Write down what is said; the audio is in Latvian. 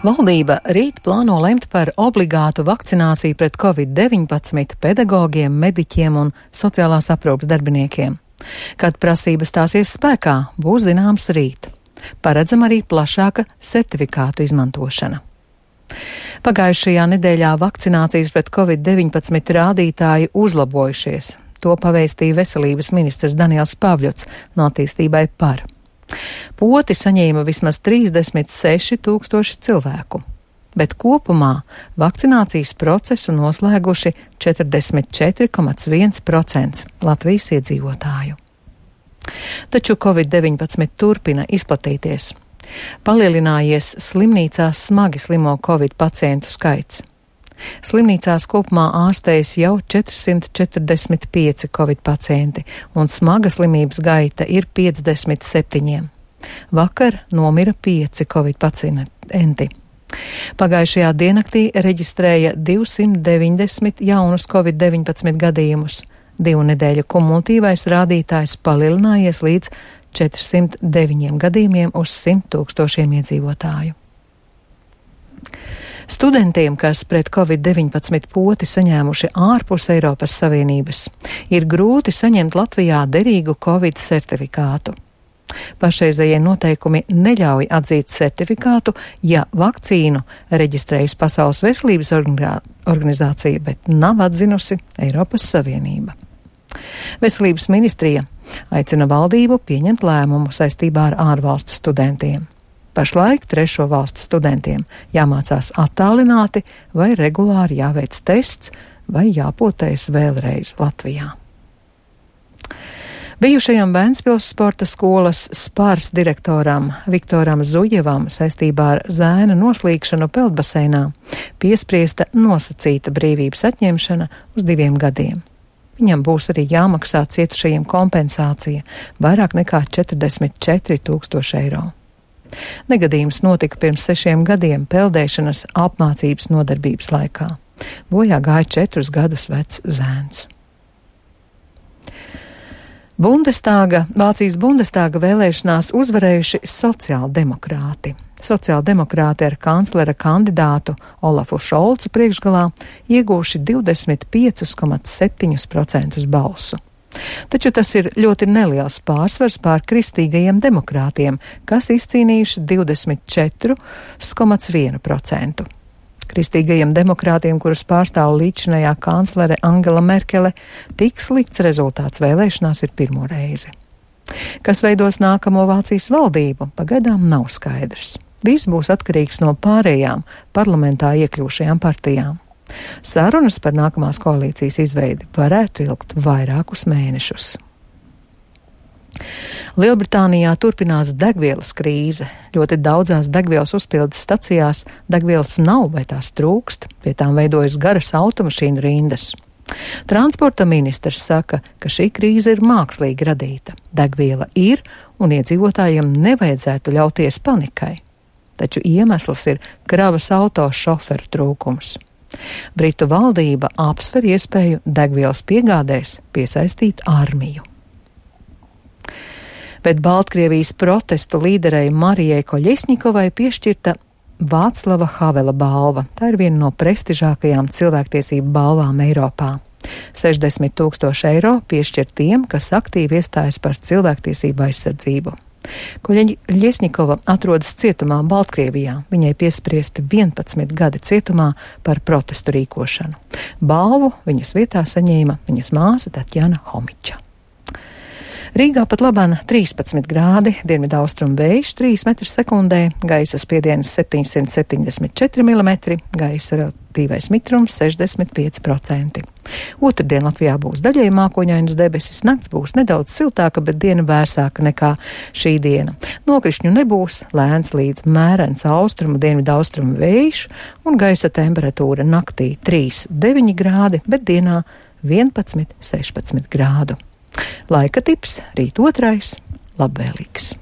Valdība rīt plāno lemt par obligātu vakcināciju pret Covid-19 pedagogiem, mediķiem un sociālās aprūpes darbiniekiem. Kad prasības stāsies spēkā, būs zināms rīt. Paredzama arī plašāka certifikātu izmantošana. Pagājušajā nedēļā vakcinācijas pret Covid-19 rādītāji uzlabojušies. To pavēstīja veselības ministrs Daniels Pavļots no Attīstībai par. Poti saņēma vismaz 36 000 cilvēku, bet kopumā vakcinācijas procesu noslēguši 44,1% Latvijas iedzīvotāju. Taču Covid-19 turpina izplatīties. Palielinājies slimnīcās smagi slimo Covid pacientu skaits. Slimnīcās kopumā ārstējas jau 445 Covid pacienti, un smaga slimības gaita ir 57. Vakar nomira 5 Covid pacienti. Pagājušajā diennaktī reģistrēja 290 jaunus Covid-19 gadījumus. 2 nedēļu kumulatīvais rādītājs palielinājies līdz 409 gadījumiem uz 100 000 iedzīvotāju. Studentiem, kas pret Covid-19 poti saņēmuši ārpus Eiropas Savienības, ir grūti saņemt Latvijā derīgu Covid certifikātu. Pašreizējie noteikumi neļauj atzīt certifikātu, ja vakcīnu reģistrējas Pasaules veselības organizācija, bet nav atzinusi Eiropas Savienība. Veselības ministrija aicina valdību pieņemt lēmumu saistībā ar ārvalstu studentiem. Pašlaik trešo valstu studentiem jāmācās attālināti vai regulāri jāveic tests vai jāpotējas vēlreiz Latvijā. Bijušajam Vēncpils sporta skolas Spārs direktoram Viktoram Zujevam saistībā ar zēna noslīkšanu peldbaseinā piespriesta nosacīta brīvības atņemšana uz 2 gadiem. Viņam būs arī jāmaksā cietušajiem kompensācija vairāk nekā 44 000 eiro. Negadījums notika pirms 6 gadiem peldēšanas apmācības nodarbības laikā. Bojā gāja 4 gadus vecs zēns. Vācijas Bundestāga vēlēšanās uzvarējuši sociāldemokrāti. Sociāldemokrāti ar kanclera kandidātu Olafu Šolcu priekšgalā iegūši 25,7% balsu. Taču tas ir ļoti neliels pārsvars pār kristīgajiem demokrātiem, kas izcīnījuši 24,1%. Kristīgajiem demokrātiem, kurus pārstāv līdzinājā kanclere Angela Merkele, tik slikts rezultāts vēlēšanās ir pirmo reizi. Kas veidos nākamo Vācijas valdību, pagaidām nav skaidrs. Viss būs atkarīgs no pārējām parlamentā iekļūšajām partijām. Sarunas par nākamās koalīcijas izveidi varētu ilgt vairākus mēnešus. Lielbritānijā turpinās degvielas krīze. Ļoti daudzās degvielas uzpildes stacijās degvielas nav vai tās trūkst, pie tām veidojas garas automašīnu rindas. Transporta ministrs saka, ka šī krīze ir mākslīgi radīta. Degviela ir un iedzīvotājiem nevajadzētu ļauties panikai. Taču iemesls ir kravas auto šoferu trūkums. Britu valdība apsver iespēju degvielas piegādēs piesaistīt armiju. Bet Baltkrievijas protestu līderei Marijai Koļesņikovai piešķirta Vāclava Havela balva. Tā ir viena no prestižākajām cilvēktiesību balvām Eiropā. 60 000 eiro piešķir tiem, kas aktīvi iestājas par cilvēktiesību aizsardzību. Koļesņikova atrodas cietumā Baltkrievijā. Viņai piespriesti 11 gadi cietumā par protestu rīkošanu. Balvu viņas vietā saņēma viņas māsa Tatjana Homiča. Rīgā pat labāk 13 grādi, dienvidaustrumu vējš 3 m/sekundē, gaisa spiediens 774 mm, gaisa relatīvais mitrums 65%. Otrdien Latvijā būs daļēji mākoņainas debesis, nakts būs nedaudz siltāka, bet diena vēsāka nekā šī diena. Nokrišņu nebūs, lēns līdz mērens austrumu, dienvidaustrumu vējš un gaisa temperatūra naktī 3,9 grādi, bet dienā 11,16 grādu. Laika tips rīt 2. labvēlīgs.